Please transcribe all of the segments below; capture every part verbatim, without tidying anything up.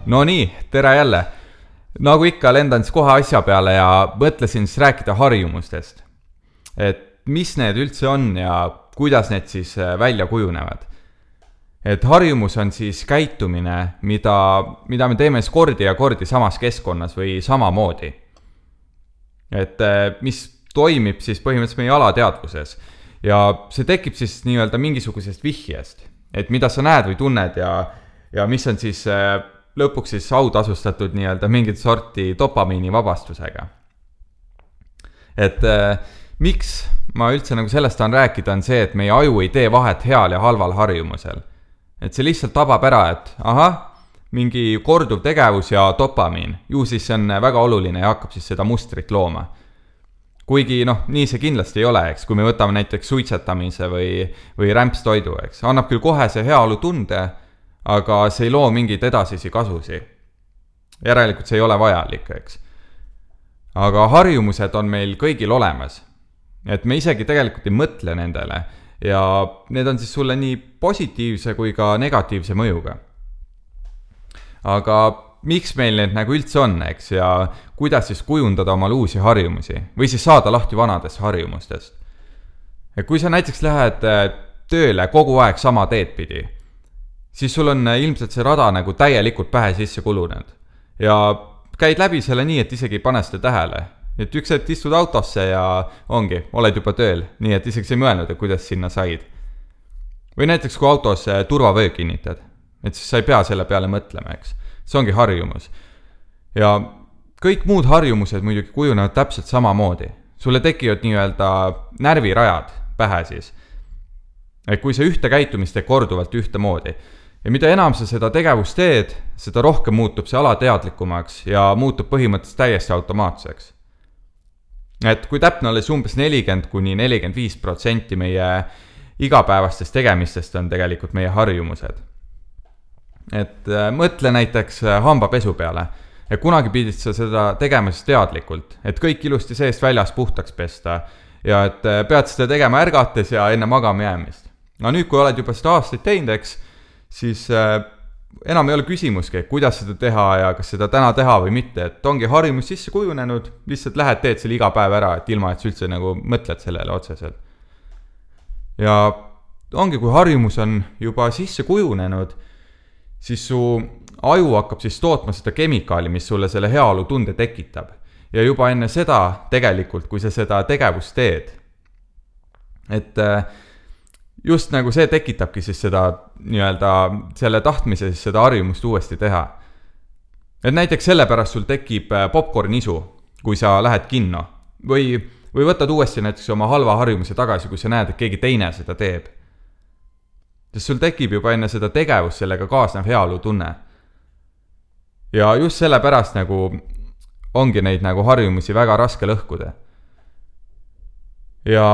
No nii, tere jälle. Nagu ikka lendan siis kohe asja peale ja mõtlesin siis rääkida harjumustest. Et mis need üldse on ja kuidas need siis välja kujunevad. Et harjumus on siis käitumine, mida, mida me teeme siis kordi ja kordi samas keskkonnas või samamoodi. Et mis toimib siis põhimõtteliselt meie alateadvuses. Ja see tekib siis nii-öelda mingisugusest vihjest. Et mida sa näed või tunned ja, ja mis on siis lõpuks siis autasustatud nii-öelda mingit sorti dopamiini vabastusega. Et äh, miks ma üldse nagu sellest on rääkida, on see, et meie aju ei tee vahet heal ja halval harjumusel. Et see lihtsalt tabab ära, et aha, mingi korduv tegevus ja dopamiin. Ju siis see on väga oluline ja hakkab siis seda mustrit looma. Kuigi noh, nii see kindlasti ei ole, eks, kui me võtame näiteks suitsetamise või, või rämpstoidu, eks. Annab küll kohe see heaolu tunde, aga see ei loo mingeid edasisi kasusi. Järelikult see ei ole vajalik, eks. Aga harjumused on meil kõigil olemas. Et me isegi tegelikult ei mõtle nendele ja need on siis sulle nii positiivse kui ka negatiivse mõjuga. Aga miks meil need nagu üldse on, eks, ja kuidas siis kujundada omal uusi harjumusi või siis saada lahti vanadest harjumustest. Ja kui sa näiteks lähed tööle kogu aeg sama teed pidi, siis sul on ilmselt see rada nagu täielikult pähe sisse kulunud. Ja käid läbi selle nii, et isegi ei pane seda tähele. Et üks hetk istud autosse ja ongi, oled juba tööl, nii et isegi ei mõelnud, et kuidas sinna said. Või näiteks kui autos turvavöö kinnitad, et siis sa ei pea selle peale mõtlema, eks. See ongi harjumus. Ja kõik muud harjumused muidugi kujunevad täpselt samamoodi. Sulle tekivad nii-öelda närvirajad pähe siis. Et kui sa ühte käitumist teed korduvalt ühte moodi. Ja mida enam sa seda tegevust teed, seda rohkem muutub see alateadlikumaks ja muutub põhimõtteliselt täiesti automaatseks. Et kui täpne oli umbes nelikümmend kuni nelikümmend viis protsenti meie igapäevastest tegemistest on tegelikult meie harjumused. Et mõtle näiteks hambapesu peale. Ja kunagi pidid sa seda tegemas teadlikult, et kõik ilusti seest väljas puhtaks pesta ja et pead seda tegema ärgates ja enne magama jäämist. No nüüd, kui oled juba seda aastaid teinud, eks, siis äh, enam ei ole küsimuski, kuidas seda teha ja kas seda täna teha või mitte, et ongi harjumus sisse kujunenud, lihtsalt lähed teed selle iga päev ära, et ilma, et sa üldse nagu mõtled sellele otseselt. Ja ongi, kui harjumus on juba sisse kujunenud, siis su aju hakkab siis tootma seda kemikaali, mis sulle selle heaolu tunde tekitab. Ja juba enne seda tegelikult, kui sa seda tegevust teed, et äh, just nagu see tekitabki siis seda nii-öelda selle tahtmise siis seda harjumust uuesti teha. Et näiteks sellepärast sul tekib popcorn isu, kui sa lähed kinno. Või, või võtad uuesti näiteks oma halva harjumuse tagasi, kui sa näed, et keegi teine seda teeb. Sest sul tekib juba enne seda tegevust sellega kaasnev heaolu tunne. Ja just sellepärast nagu ongi neid nagu harjumusi väga raske lõhkuda. Ja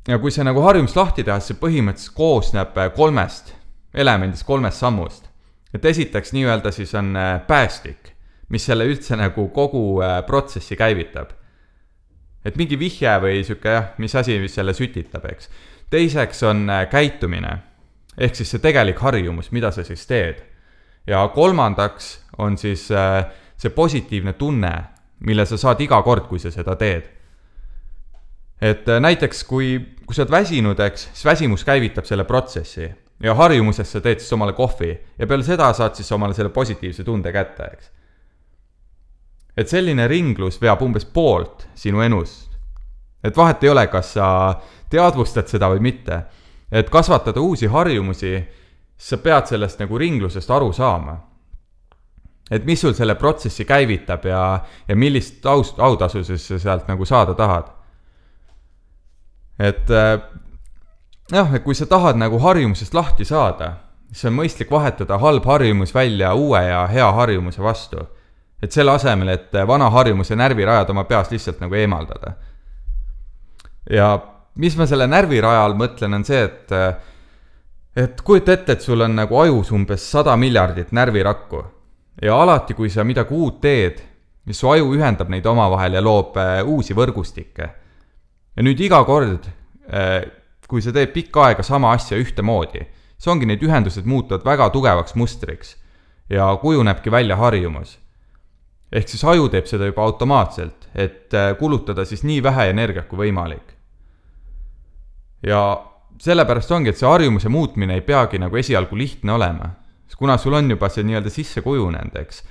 Ja kui see nagu harjumus lahti teha, see põhimõtteliselt koosneb kolmest elemendist, kolmest sammust. Et esiteks nii-öelda siis on päästik, mis selle üldse nagu kogu protsessi käivitab. Et mingi vihje või süke, jah, mis asi mis selle sütitab, eks. Teiseks on käitumine, ehk siis see tegelik harjumus, mida sa siis teed. Ja kolmandaks on siis see positiivne tunne, mille sa saad iga kord, kui sa seda teed. Et näiteks, kui, kui sa oled väsinud, eks, siis väsimus käivitab selle protsessi ja harjumuses sa teed siis omale kohvi ja peale seda saad siis omale selle positiivse tunde kätte, eks. Et selline ringlus veab umbes poolt sinu enust. Et vahet ei ole, kas sa teadvustad seda või mitte. Et kasvatada uusi harjumusi, sa pead sellest nagu ringlusest aru saama. Et mis sul selle protsessi käivitab ja, ja millist aust, autasu siis sealt nagu saada tahad. Et jah, et kui sa tahad nagu harjumusest lahti saada, siis on mõistlik vahetada halb harjumus välja uue ja hea harjumuse vastu. Et selle asemel, et vana harjumuse närvirajad oma peas lihtsalt nagu eemaldada. Ja mis ma selle närvirajal mõtlen on see, et, et kujuta ette, et sul on nagu ajus umbes sada miljardit närvirakku. Ja alati, kui sa midagi uut teed, mis su aju ühendab neid omavahel ja loob uusi võrgustikke. Ja nüüd iga kord, kui sa teed pikka aega sama asja ühte moodi, see ongi need ühendused muutuvad väga tugevaks mustriks. ja kujunebki välja harjumus. Ehk siis aju teeb seda juba automaatselt, et kulutada siis nii vähe energiat kui võimalik. Ja sellepärast ongi, et see harjumuse muutmine ei peagi nagu esialgu lihtne olema, kuna sul on juba see nii-öelda sisse kujunenud, eks.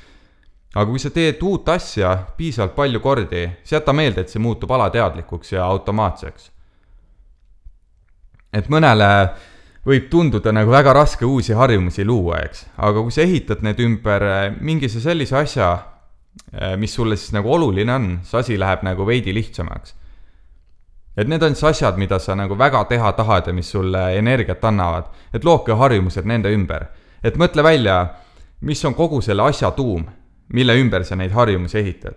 Aga kui sa teed uut asja piisavalt palju kordi, siis jäta meelde, et see muutub alateadlikuks ja automaatseks. Et mõnele võib tunduda nagu väga raske uusi harjumusi luua, eks. Aga kui sa ehitad need ümber mingise sellise asja, mis sulle siis nagu oluline on, see asi läheb nagu veidi lihtsamaks. Et need on siis asjad, mida sa nagu väga teha tahad ja mis sulle energiat annavad. Et looke harjumused nende ümber. Et mõtle välja, mis on kogu selle asja tuum, mille ümber sa neid harjumusi ehitad.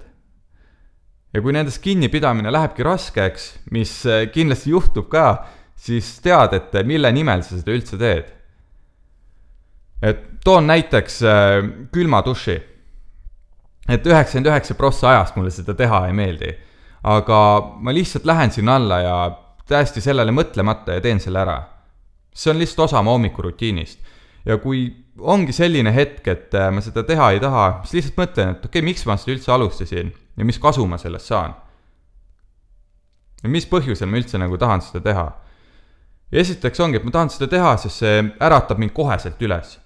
Ja kui nendest kinnipidamine lähebki raskeks, mis kindlasti juhtub ka, siis tead, et mille nimel sa seda üldse teed. Et toon näiteks külma duši. Et üheksakümmend üheksa protsenti ajast mulle seda teha ei meeldi. Aga ma lihtsalt lähen sinna alla ja täiesti sellele mõtlemata ja teen selle ära. See on lihtsalt osa ma hommikurutiinist. Ja kui ongi selline hetk, et ma seda teha ei taha, siis lihtsalt mõtlen, et okei, okay, miks ma seda üldse alustasin ja mis kasu ma sellest saan. Ja mis põhjusel ma üldse nagu tahan seda teha. Ja esiteks ongi, et ma tahan seda teha, sest see äratab mind koheselt üles.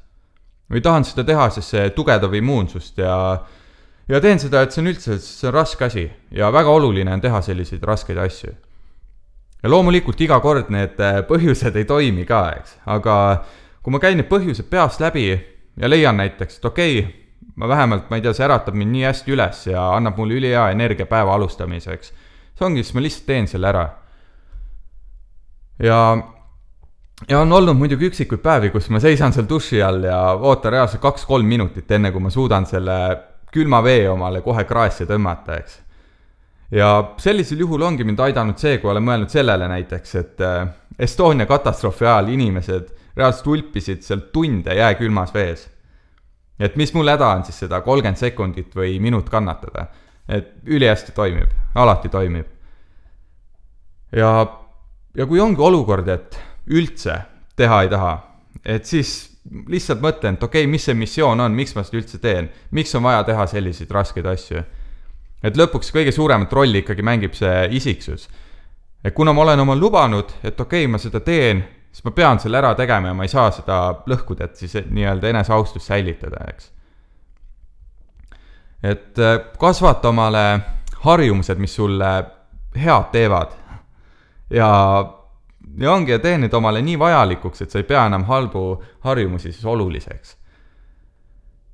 Või tahan seda teha, sest see tugevdab immuunsust ja Ja teen seda, et see on üldse see on raske asi ja väga oluline on teha selliseid raskeid asju. Ja loomulikult iga kord need põhjused ei toimi ka, eks. Aga kui ma käin need põhjused peast läbi ja leian näiteks, et okei, ma vähemalt, ma ei tea, see äratab mind nii hästi üles ja annab mulle ülihea energia päeva alustamiseks. See ongi, siis ma lihtsalt teen selle ära. Ja, ja on olnud muidugi üksikuid päevi, kus ma seisan seal duši all ja ootan reaalselt kaks-kolm minutit enne, kui ma suudan selle külma vee omale kohe kraesse tõmmata, eks. Ja sellisel juhul ongi mind aidanud see, kui olen mõelnud sellele näiteks, et Estonia katastroofi ajal inimesed reaalselt ulpisid seal tunde jää külmas vees. Et mis mul häda on siis seda kolmkümmend sekundit või minut kannatada. Et üli hästi toimib, alati toimib. Ja, ja kui ongi olukord, et üldse teha ei taha, et siis lihtsalt mõtlen, et okei, mis see missioon on, miks ma seda üldse teen, miks on vaja teha selliseid raskeid asju. Et lõpuks kõige suuremat rolli ikkagi mängib see isiksus. Et kuna ma olen omal lubanud, et okei, ma seda teen, siis ma pean selle ära tegema ja ma ei saa seda lõhkuda, et siis nii-öelda eneseaustust säilitada, eks. Et kasvata omale harjumused, mis sulle head teevad ja Ja ongi ja teen need omale nii vajalikuks, et sa ei pea enam halbu harjumusi siis oluliseks.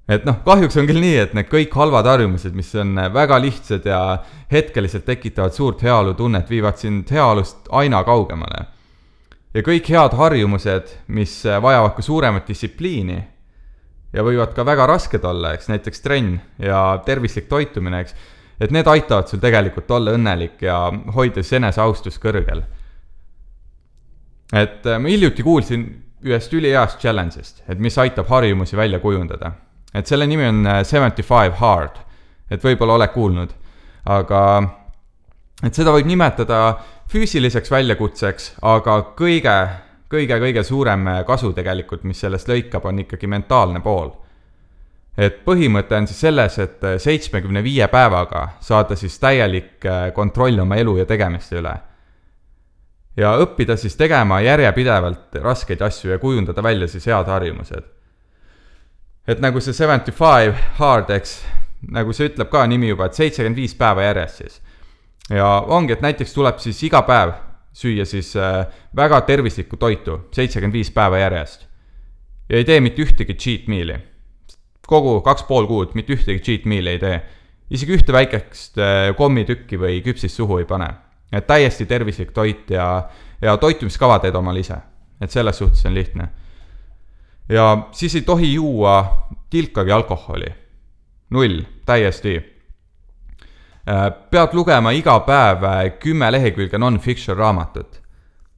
Et noh, kahjuks on küll nii, et need kõik halvad harjumused, mis on väga lihtsad ja hetkeliselt tekitavad suurt heaolu tunnet, viivad sind heaolust aina kaugemale. Ja kõik head harjumused, mis vajavad ka suuremat distsipliini ja võivad ka väga rasked olla, eks, näiteks trenn ja tervislik toitumine, eks, et need aitavad sul tegelikult olla õnnelik ja hoida siis eneseaustus kõrgel. Et ma hiljuti kuulsin ühest üliheast challenge'ist, et mis aitab harjumusi välja kujundada. Et selle nimi on seventy-five hard, et võib-olla oled kuulnud. Aga et seda võib nimetada füüsiliseks väljakutseks, aga kõige, kõige, kõige suurem kasu tegelikult, mis sellest lõikab, on ikkagi mentaalne pool. Et põhimõte on siis selles, et seitsmekümne viie päevaga saada siis täielik kontroll oma elu ja tegemiste üle. Ja õppida siis tegema järjepidevalt raskeid asju ja kujundada välja siis head harjumused. Et nagu see seventy-five hard, eks, nagu see ütleb ka nimi juba, et seitsekümmend viis päeva järjest siis. Ja ongi, et näiteks tuleb siis iga päev süüa siis väga tervislikku toitu, seitsekümmend viis päeva järjest. Ja ei tee mitte ühtegi cheat meal'i. Kogu kaks pool kuud mitte ühtegi cheat meal'i ei tee. Isegi ühte väikest kommitükki või küpsist suhu ei pane. Et täiesti tervislik toit ja, ja toitumiskava teed omal ise. Et selles suhtes on lihtne. Ja siis ei tohi juua tilkagi alkoholi. Null, täiesti. Pead lugema iga päev kümme lehekülge non-fiction raamatut.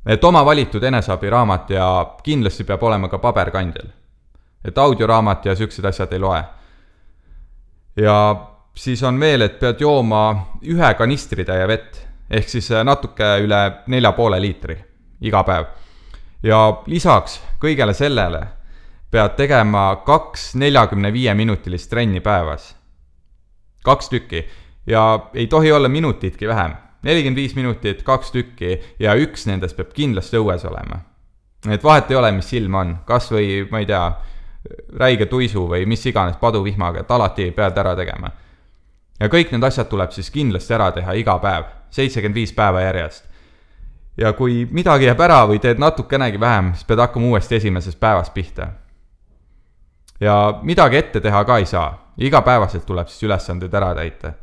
Et oma valitud enesabi raamat ja kindlasti peab olema ka paberkandjal. Et audioraamat ja süksed asjad ei loe. Ja siis on veel, et pead jooma ühe kanistritäie vett. Ehk siis natuke üle nelja poole liitri iga päev. Ja lisaks kõigele sellele pead tegema kaks neljakümne viie minutilist trenni päevas. Kaks tükki. Ja ei tohi olla minutitki vähem. nelikümmend viis minutit, kaks tükki ja üks nendest peab kindlasti õues olema. Et vahet ei ole, mis silm on. Kas või, ma ei tea, räige tuisu või mis iganes paduvihmaga, et alati pead ära tegema. Ja kõik need asjad tuleb siis kindlasti ära teha iga päev. seitsekümmend viis päeva järjest. Ja kui midagi jääb ära või teed natukenegi vähem, siis pead hakkama uuesti esimesest päevast pihta. Ja midagi ette teha ka ei saa. Iga päevaselt tuleb siis ülesanded ära täita.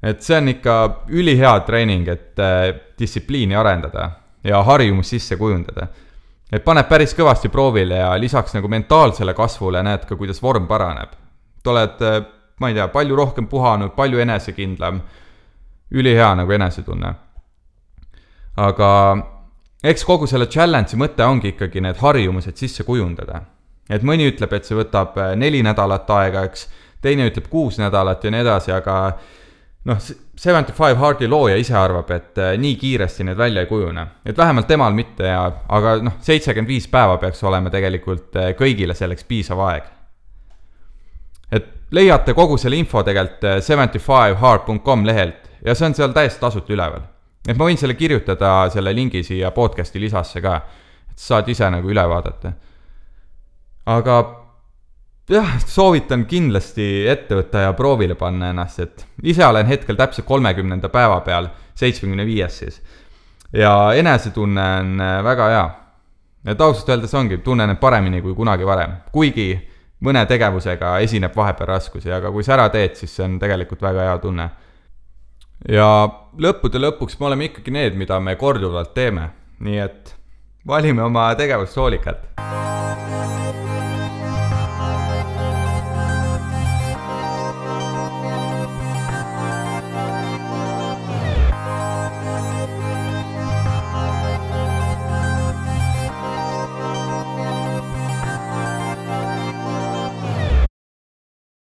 Et see on ikka ülihea treening, et äh, distsipliini arendada ja harjumus sisse kujundada. Et paneb päris kõvasti proovile ja lisaks nagu mentaalsele kasvule näed ka, kuidas vorm paraneb. Te oled, äh, ma ei tea, palju rohkem puhanud, palju enesekindlam, ülihea nagu enesetunne. Aga eks kogu selle challenge'i mõte ongi ikkagi need harjumused sisse kujundada. Et mõni ütleb, et see võtab neli nädalat aega, eks, teine ütleb kuus nädalat ja nii edasi, aga noh, seitsekümmend viis Hardi looja ise arvab, et nii kiiresti need välja ei kujune. Et vähemalt temal mitte, ja, aga noh, seitsekümmend viis päeva peaks olema tegelikult kõigile selleks piisav aeg. Et leiate kogu selle info tegelikult seitsekümmend viis hard dot com lehelt ja see on seal täiesti tasuta üleval. Et ma võin selle kirjutada selle lingi siia podcasti lisasse ka, et saad ise nagu üle vaadata. Aga jah, soovitan kindlasti ette võtta ja proovile panna ennast, et ise olen hetkel täpselt kolmekümnenda päeva peal, seitsmekümne viies siis. Ja enesetunne on väga hea. Et ausalt öeldes ongi, tunnen paremini kui kunagi varem. Kuigi mõne tegevusega esineb vahepeal raskusi, aga kui sa ära teed, siis see on tegelikult väga hea tunne. Ja lõppude lõpuks me oleme ikkagi need, mida me korduvalt teeme. Nii et valime oma tegevust hoolikalt.